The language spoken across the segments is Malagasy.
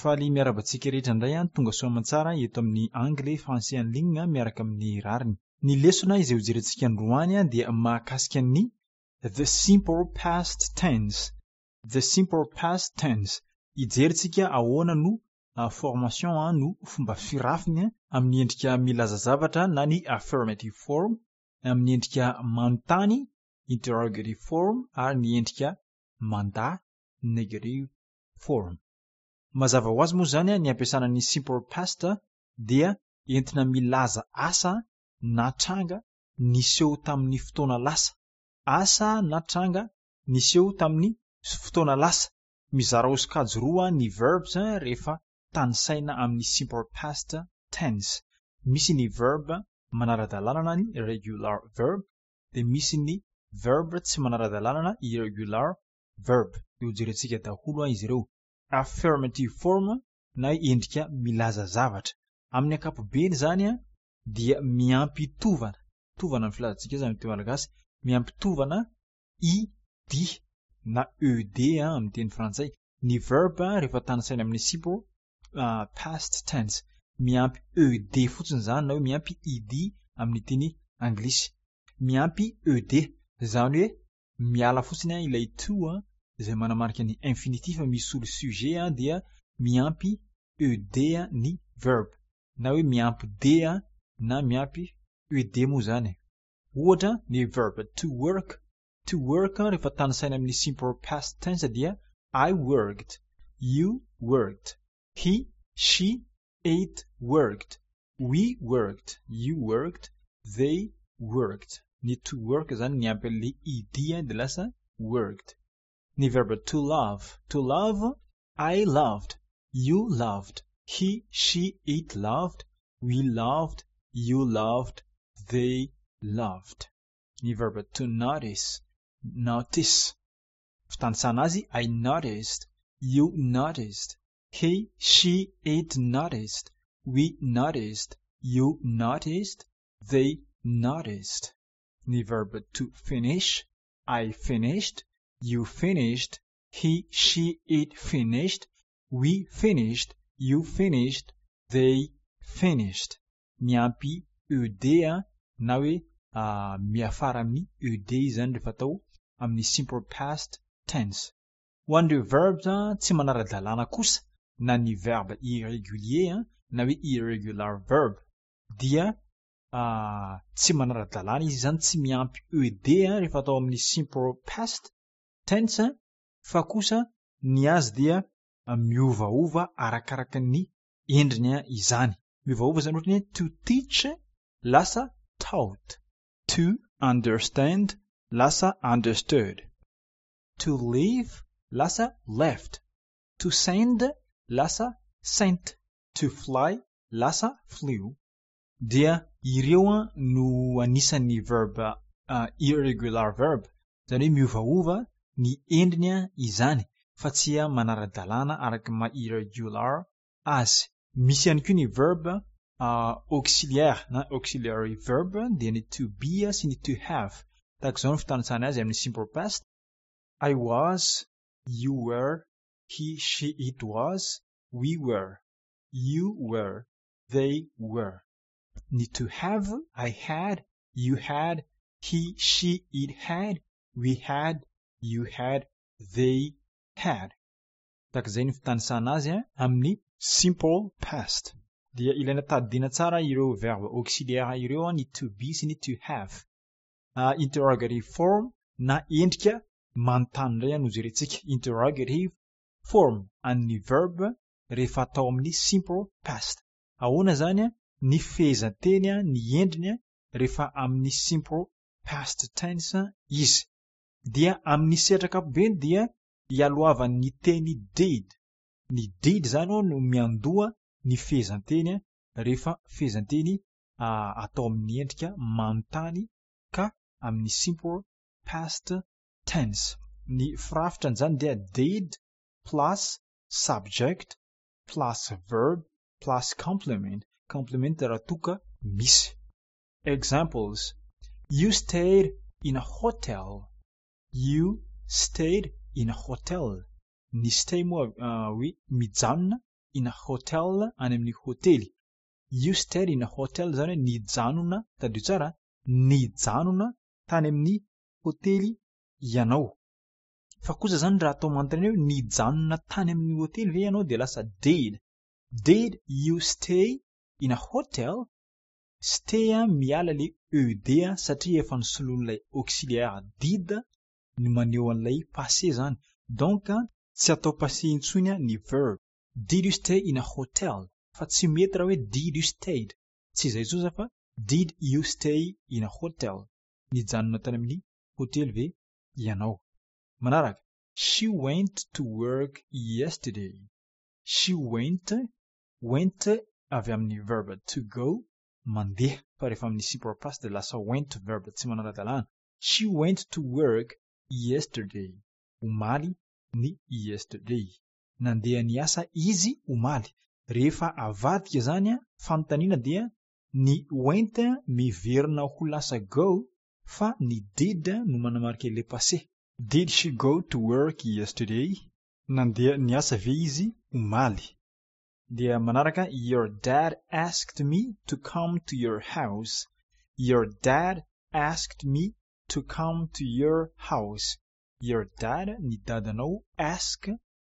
Faly miarahaba antsika rehetra indray an, tonga soa aman-tsara eto amin'ny Anglais Français en ligne miaraka amin'ny rariny. Ny lesona izay hojerentsika androany dia mahakasika ny The simple past tense. The simple past tense. Hijery tsika ahoana no formation no fomba firafiny amin'ny endrika milaza zavatra na ny affirmative form, amin'ny endrika manontany interrogative form ary ny endrika mandà negative form. Mazava ho azy moa izany ny ampiasana ny simple past dia entina milaza asa na tranga niseho tamin'ny fotoana lasa. Asa na tranga niseho tamin'ny fotoana lasa. Mizara ho sokajy roa ny verbs rehefa tanisaina amin'ny simple past tense. Misy ny verb manara-dalàna na ny regular verb dia misy ny verb tsy manara-dalàna na irregular verb. Dia hojerentsika daholo izy ireo. Affirmative form na endrika milaza zavatra. Amin'ny ankapobeny izany dia miampy tovana, tovana ny filazantsika azy amin'ny teny malagasy, miampy tovana id na ed amin'ny teny frantsay. Ny verb rehefa tanisaina amin'ny simple past tense, miampy ed fotsiny izany na hoe miampy id amin'ny teny anglisy. Miampy ed, izany hoe miala fotsiny ilay to izay manamarika ny infinitif misolo sujet dia miampy ed ny verb na hoe miampy d na miampy ed moa izany. Ohatra ny verb to work, to work rehefa tanisaina amin'ny simple past tense dia I worked, you worked, he, she, it worked, we worked, you worked, they worked. Ny to work izany miampy an'ilay ed dia lasa worked. Ny verb to love, to love, I loved, you loved, he, she, it loved, we loved, you loved, they loved. Ny verb to notice, notice, fitanisana azy I noticed, you noticed, he, she, it noticed, we noticed, you noticed, they noticed. Ny verb to finish, I finished, you finished, he, she, it finished, we finished, you finished, they finished. Miampy ed na hoe miafara amin'ny ed izany rehefa atao amin'ny simple past tense. Ho an'ireo verbs tsy manara-dalàna kosa na ny verbe irrégulier na hoe irregular verb dia tsy manara-dalàna izy izany, tsy miampy ed rehefa atao amin'ny simple past tense fa kosa ny azy dia miovaova arakaraka ny endriny izany. Miovaova izany ohatra ny hoe to teach lasa taught, to understand lasa understood, to leave lasa left, to send lasa sent, to fly lasa flew. Dia ireo no anisan'ny verb irregular verb, izany hoe miovaova ny endriny izany fa tsy manara-dalàna araka ny maha irregular azy. Misy ihany koa ny verb auxiliaire na auxiliary verb dia ny to be sy ny to have. Tahaka izao ny fitanisana azy amin'ny simple past: I was, you were, he, she, it was, we were, you were, they were. Ny to have: I had, you had, he, she, it had, we had, you had, they had. Tahaka izay ny fitanisana azy amin'ny simple past. Dia ilaina tadidiana tsara ireo verbe auxiliaire ireo, ny to be sy ny to have. Interrogative form na endrika manontany indray no jerentsika. Interrogative form an'ny verb rehefa atao amin'ny simple past. Ahoana izany ny fehezanteny, ny endriny rehefa amin'ny simple past tense izy? Dia amin'ny sehatra ankapobeny dia ialohavan'ny teny did. Ny did izany no miandoha ny fehezanteny rehefa fehezanteny atao amin'ny endrika manontany ka amin'ny simple past tense. Ny firafitrany izany dia did plus subject plus verb plus complement. Complement raha toa ka misy. Examples: You stayed in a hotel. You stayed in a hotel. Ny stay moa hoe mijanona. in a hotel, any amin'ny hotely. You stayed in a hotel izany hoe nijanona, tadidio tsara, nijanona tany amin'ny hotely ianao. Fa kosa izany raha atao manontaniana hoe nijanona tany amin'ny hotely ve ianao dia lasa did. Did you stay in a hotel? Stay miala ilay ed satria efa nosoloin'ilay auxiliaire did ny maneho an'ilay passé izany. Donc tsy atao passé intsony ny verb. Did you stay in a hotel? Fa tsy mety raha hoe did you stayed. Tsy izay intsony izany fa did you stay in a hotel? Nijanona tany amin'ny hotely ve ianao? Manaraka, she went to work yesterday. She went, went avy amin'ny verb to go, mandeha, fa rehefa amin'ny simple past dia lasa went verb tsy manara-dalàna. She went to work yesterday. Omaly ny yesterday. Nandeha niasa izy omaly. Rehefa avadika izany fanontaniana dia ny went miverina ho lasa go fa ny did no manamarika ilay passé. Did she go to work yesterday? Nandeha niasa ve izy omaly? Dia manaraka, your dad asked me to come to your house. Your dad asked me to come to your house. Your dad, ny dadanao, ask,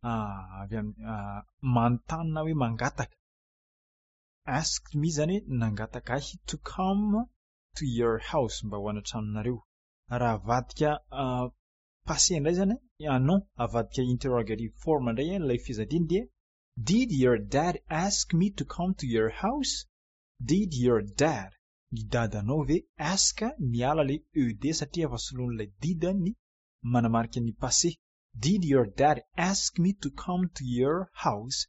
avy amin'ny manontany na hoe mangataka. Asked me izany hoe nangataka ahy to come to your house, mba ho any an-tranonareo. Raha avadika passé indray izany, non, avadika interrogative form indray ilay fehezanteny dia did your dad ask me to come to your house? Did your dad, ny dadanao ve, ask miala ilay ed satria efa soloin'ilay did ny manamarika ny passé. Did your dad ask me to come to your house?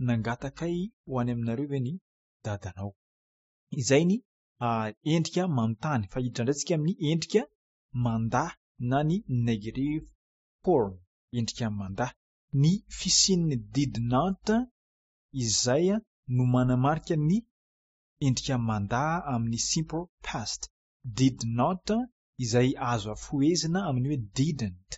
Nangataka ahy ho any aminareo ve ny dadanao? Izay ny endrika manontany. Fa hiditra indray tsika amin'ny endrika mandà na ny negative form, endrika mandà. Ny fisian'ny did not izay no manamarika ny endrika mandà amin'ny simple past. Did not izay azo afohezina amin'ny hoe didn't.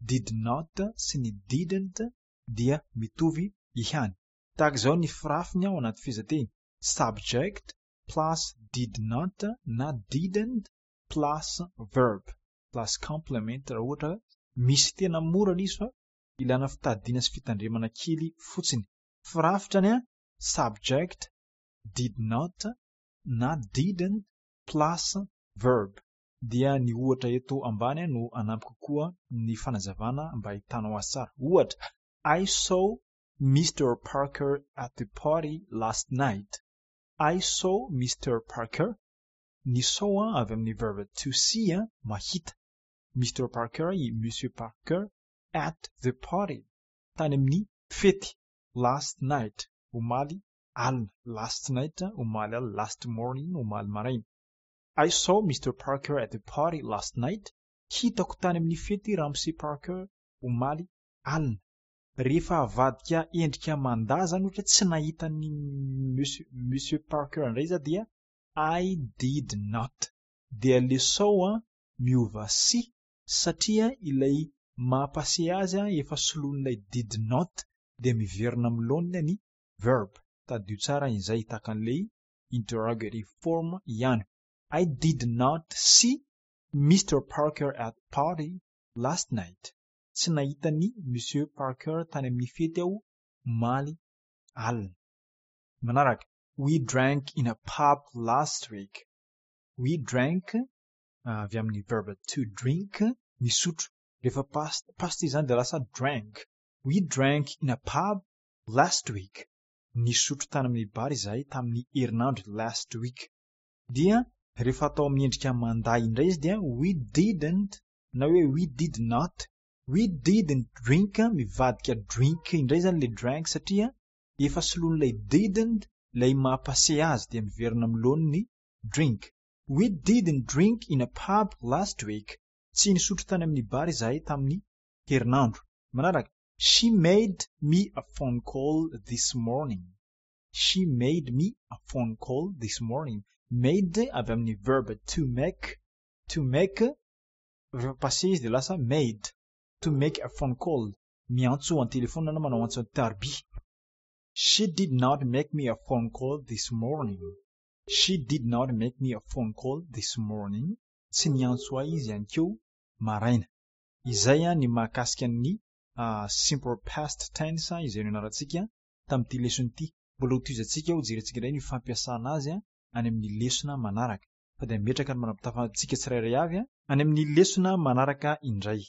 Did not sy ny didn't dia mitovy ihany. Tahaka izao ny firafiny ao anaty fehezanteny. Subject plus did not na didn't plus verb plus complement raha ohatra misy. Tena mora ilay izy fa ilana fitadiana sy fitandremana kely fotsiny. Firafitrany subject did not na didn't plus verb. Dia ny ohatra eto ambany no anampy kokoa ny fanazavana mba ahitanao azy tsara. Ohatra, I saw Mr. Parker at the party last night. I saw Mr. Parker. Ny saw avy amin'ny verb to see, mahita. Mr. Parker, i Monsieur Parker, at the party, tany amin'ny fety, last night, omaly alina. Last night, omaly alina, last morning, omaly maraina. I saw Mr. Parker at the party last night. Hitako tany amin'ny fety Ramose Parker omaly alina. Rehefa avadika endrika mandà zany, ohatra tsy nahita ny Monsieur Parker indray izy dia I did not. Dia le saw miova see satria ilay maha-passé azy efa soloin'ilay did not dia miverina amin'ny laoniny ny verb. Tadidio tsara izay, tahaka an'ilay interrogative form ihany. I did not see Mr. Parker at party last night. Tsy nahita ny Monsieur Parker tany amin'ny fety aho omaly alina. Manaraka, we drank in a pub last week. We drank avy amin'ny verb to drink, misotro. Rehefa past izy zany dia lasa drank. We drank in a pub last week. Nisotro tany amin'ny bar izahay tamin'ny herinandro, last week. Dia rehefa atao amin'ny endrika mandà indray izy dia we didn't na hoe we did not. We didn't drink, mivadika drink indray zany le drank satria efa soloin'ilay didn't ilay maha-passé azy dia miverina amin'ny laoniny drink. We didn't drink in a pub last week. Tsy nisotro tany amin'ny bar izahay tamin'ny herinandro. Manaraka, she made me a phone call this morning. She made me a phone call this morning. Made avy amin'ny verb to make. To make rehefa passé izy dia lasa made. To make a phone call, miantso an-telefona na manao antso an-tarby. She She did not make me a phone call this morning. She did not make me a phone call this morning. Tsy niantso ahy izy aninkeo maraina. Izay ny mahakasika ny simple past tense izay nianarantsika tamin'ity lesona ity. Mbola hotohizantsika hojerentsika indray ny fampiasana azy any amin'ny lesona manaraka. Fa dia mipetraka ny manam-pitafantsika tsirairay avy any amin'ny lesona manaraka indray.